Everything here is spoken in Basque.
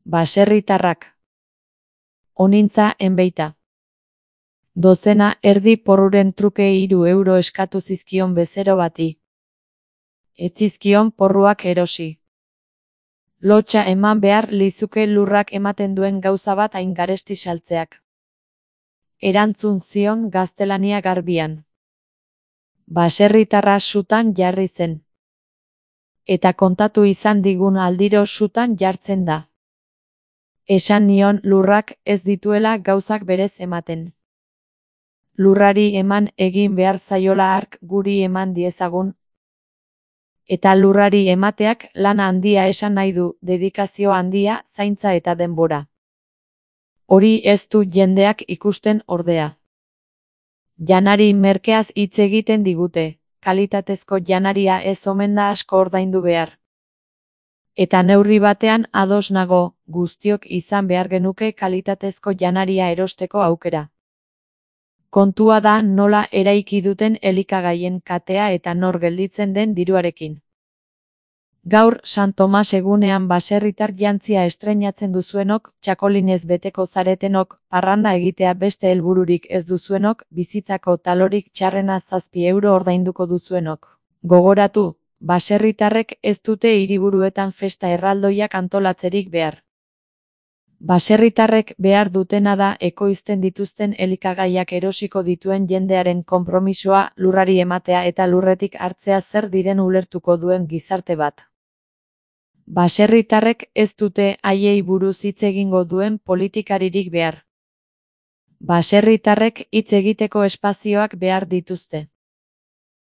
Baserritarrak. Onintza enbeita. Dozena erdi porruren truke 3 euro eskatu zizkion bezero bati. Ez zizkion porruak erosi. Lotsa eman behar lizuke lurrak ematen duen gauza bat hain garesti saltzeak. Erantzun zion gaztelania garbian. Baserritarra sutan jarri zen. Eta kontatu izan digun aldiro sutan jartzen da. Esan nion lurrak ez dituela gauzak berez ematen. Lurrari eman egin behar zaiola hark guri eman diezagun. Eta lurrari emateak lan handia esan nahi du, dedikazio handia, zaintza eta denbora. Hori ez du jendeak ikusten ordea. Janari merkeaz hitz egiten digute, kalitatezko janaria ez omen da asko ordaindu behar. Eta neurri batean ados nago, guztiok izan behar genuke kalitatezko janaria erosteko aukera. Kontua da nola eraiki duten elikagaien katea eta nor gelditzen den diruarekin. Gaur San Tomas egunean baserritar jantzia estreinatzen duzuenok, txakolinez beteko zaretenok, parranda egitea beste helbururik ez duzuenok, bizitzako talorik txarrena 7 euro ordainduko duzuenok. Gogoratu, baserritarrek ez dute hiriburuetan festa erraldoiak antolatzerik behar. Baserritarrek behar dutena da ekoizten dituzten elikagaiak erosiko dituen jendearen konpromisoa, lurrari ematea eta lurretik hartzea zer diren ulertuko duen gizarte bat. Baserritarrek ez dute haiei buruz hitz egingo duen politikaririk behar. Baserritarrek hitz egiteko espazioak behar dituzte.